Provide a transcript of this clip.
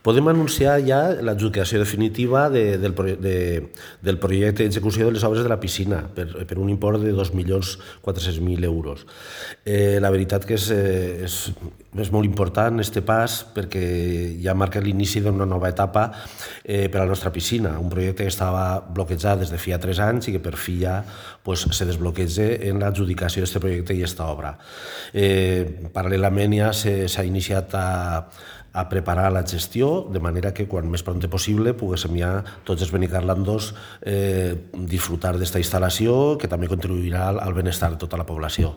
Podem anunciar ja l'adjudicació definitiva del projecte d'execució de les obres de la piscina per un import de 2.400.000 euros. La veritat que és molt important aquest pas perquè ja marca l'inici d'una nova etapa per a la nostra piscina, un projecte que estava bloquejat des de fa 3 anys i que per fi ja se desbloqueja en l'adjudicació d'aquest projecte i aquesta obra. Paral·lelament ja s'ha iniciat a preparar la gestió, de manera que quan més prompte possible poguéssim ja tots els benicarlandos disfrutar d'esta instal·lació que també contribuirà al benestar de tota la població.